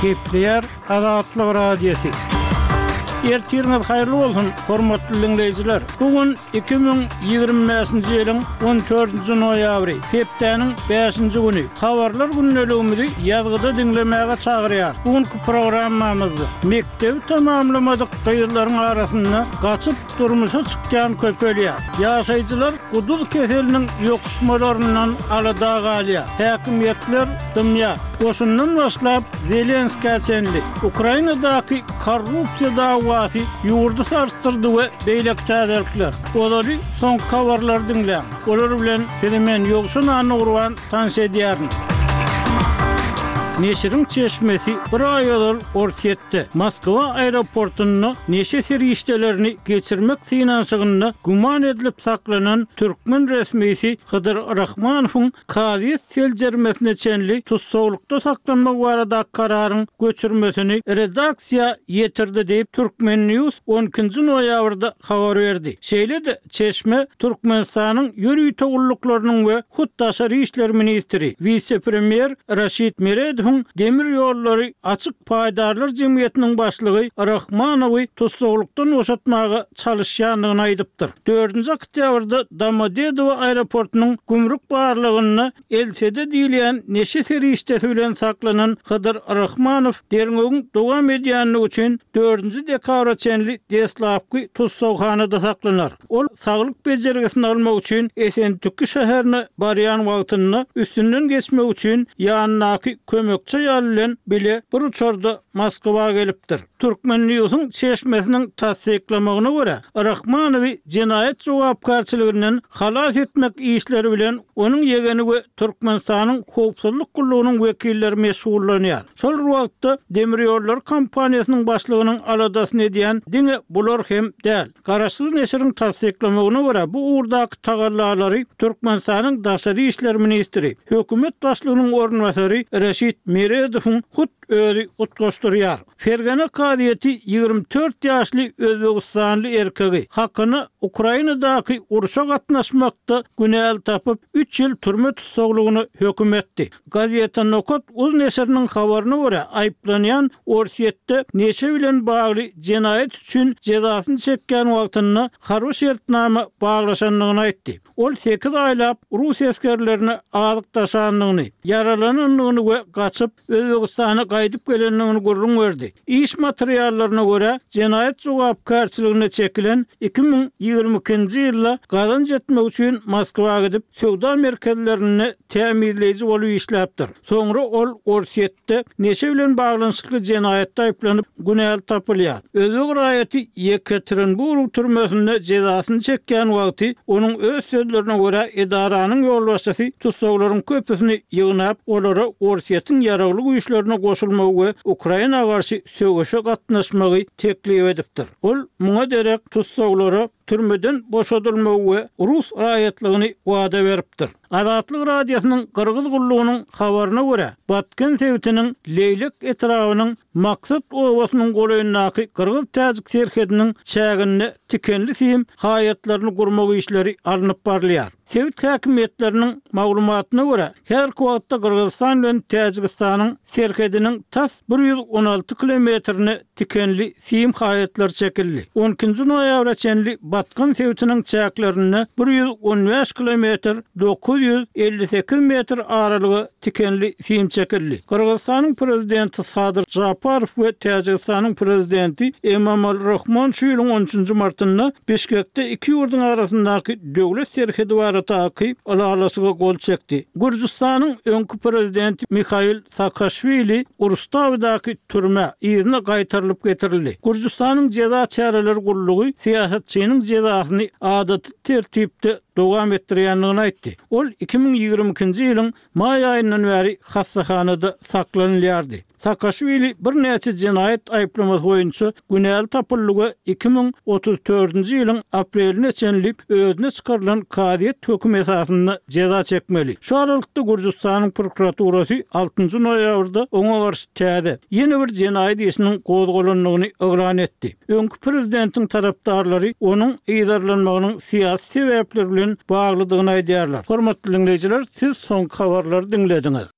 Gepleýär Azatlyk Radiosy. Ertiriňiz haýyrly bolsun, hormatly diňleýjiler! Bu gün 2025-nji ýylyň 14-nji noýabry, hepdäniň bäşinji güni. Habarlar gündeligimizi ýazgyda diňlemäge çagyrýarys. Bu günki programmamyzda mekdebi tamamlamadyk gyzlaryň arasynda gaçyp durmuşa çykýan köpelýär. Ýaşaýjylar guduz keseliniň ýokuşmalaryndan alada galýar. Häkimiýetler dymýar. Goşundan başlap Zelenskä çenli Ukrainadaky korrupsiýa dawasy ýurdy sarsdyrdy we beýleki täzelikler. Ozaly soňky habarlary diňläň. Olar bilen sizi men Ýowşan Annagurban tanyş edýärin. Neşiriň çeşmesi bir aý ozal Orsýetde, Moskwa aeroportunda neşe serişdelerini geçirmek synanyşygynda güman edilip saklanan türkmen resmisi Hydyr Rahmanowyň kazyýet seljermesine çenli tussaglykda saklanmagy baradaky kararyň göçürmesini redaksiýa ýetirdi diýip, Turkmen. News on ikinji noýabrda habar berdi. Şeýle-de, çeşme Türkmenistanyň ýörite gulluklarynyň we hut daşary işler ministri, wise-premýer Raşid Meredowyň Demir ýollary açyk paýdarlar jemgyýetiniň başlygy Rahmanowy tussaglykdan boşatmaga çalyşýandygyny aýdypdyr. Dördünji oktýabrda Domodedowo aeroportunyň gümrük barlagynda LSD diýilýän neşe serişdesi bilen saklanan Hydyr Rahmanow derňewiň dowam edýändigi üçin dördünji dekabra çenli deslapky tussaghanada saklanar. Ol saglyk bejergisini almak üçin Esentüki şäherine barýan wagtynda üstünden geçmek üçin ýanyndaky kömekçi aýal bilen bile bir uçarda Moskwa gelipdir. Turkmen Newsiň çeşmesiniň tassyklamagyna görä, Rahmanowy jenaýat jogapkärçiliginden halas etmek işleri bilen onuň ýegeni we Türkmenistanyň Howpsuzlyk gullugynyň wekilleri meşgullanýar. Şol bir wagtda, demirýollary kompaniýasynyň başlygynyň aladasyny edýän diňe bular hem däl. Garaşsyz neşiriň tassyklamagyna görä, bu ugurdaky tagallalary Türkmenistanyň daşary işler ministri, hökümet başlygynyň orunbasary Reşit Meredowyň hut özi utgaşdyrýar. Fergana kazyýeti 24 ýaşly özbegistanly erkegi hakyna Ukrainadaky urşa gatnaşmakda günäli tapyp, üç ýyl türme tussaglygyna höküm etdi. Gazeta Nokat uz neşiriniň habaryna görä, aýyplanýan Orsýetde neşe bilen bagly jenaýat üçin jezasyny çekýän wagtynda harby şertnama baglaşandygyny aýtdy. Ol sekiz aýlap rus esgerlerine azyk daşandygyny, ýaralanandygyny we gaçyp, Özbegistana gaýdyp gelendigini gürrüň berdi. Iş materiallaryna görä, jenaýat jogapkärçiligine çekilen 2022-nji ýylda gazanç etmek üçin Moskwa gidip, söwda merkezlerinde tämizleýji bolup işläpdir. Soňra ol Orsýetde neşe bilen baglanyşykly jenaýatda aýyplanyp, günäli tapylýar. Özbek raýaty Ýekaterinburg türmesinde jezasyny çekýän wagty, onuň öz sözlerine görä, edaranyň ýolbaşçysy tussaglaryň köpüsini ýygnap, olara Orsýetiň ýaragly güýçlerine goşulmagy we Ukraina garşy söweşe gatnaşmagy teklip edipdir. Ol muňa derek tussaglara türmeden boşadylmagy we rus raýatlygyny wada beripdir. Azatlyk Radiosynyň Gyrgyz gullugynyň habaryna görä, Batken sebitiniň Leýlek etrabynyň Maksat obasynyň golaýyndaky gyrgyz-täjik serhediniň çäginde tikenli sim haýatlaryny gurmak işleri alnyp barylýar. Sebit häkimiýetleriniň maglumatyna görä, häzirki wagtda Gyrgyzystan bilen Täjigistanyň serhediniň tas 116 kilometrine tikenli sim haýatlary çekildi. On ikinji noýabra çenli Batkan sebitiniň çäklerinde 115 kilometr 958 metr aralyga tikenli sim çekildi. Gyrgyzystanyň Prezidenti Sadyr Žaparow we Täjigistanyň Prezidenti Emomali Rahmon şu ýylyň on üçünji martynda Bişkekde iki ýurduň arasyndaky döwlet serhedi baradaky ylalaşyga gol çekdi. Gürjüstanyň öňki Prezidenti Mihail Saakaşwili Rustawidaky türmä yzyna gaýtarylyp getirildi. Gürjüstanyň jeza çäreleri gullugy syýasatçynyň jezasyny adaty tertipde dowam etdirýändigini aýtdy. Ol 2022-nji ýylyň maý aýyndan bäri hassahanada saklanylýardy. Saakaşwili birnäçe jenaýat aýyplamasy boýunça günäli tapyldy we 2034-nji ýylyň apreline çenli özüne çykarylan kazyýet hökümi esasynda jeza çekmeli. Şu aralykda Gürjüstanyň prokuraturasy altynjy noýabrda oňa garşy täze, ýene bir jenaýat işiniň gozgalandygyny yglan etdi. Öňki prezidentiň tarapdarlary onuň yzarlanmagynyň syýasy sebäpler bilen baglydygyny aýdýarlar. Hormatly diňleýjiler, siz soňky habarlary diňlediňiz.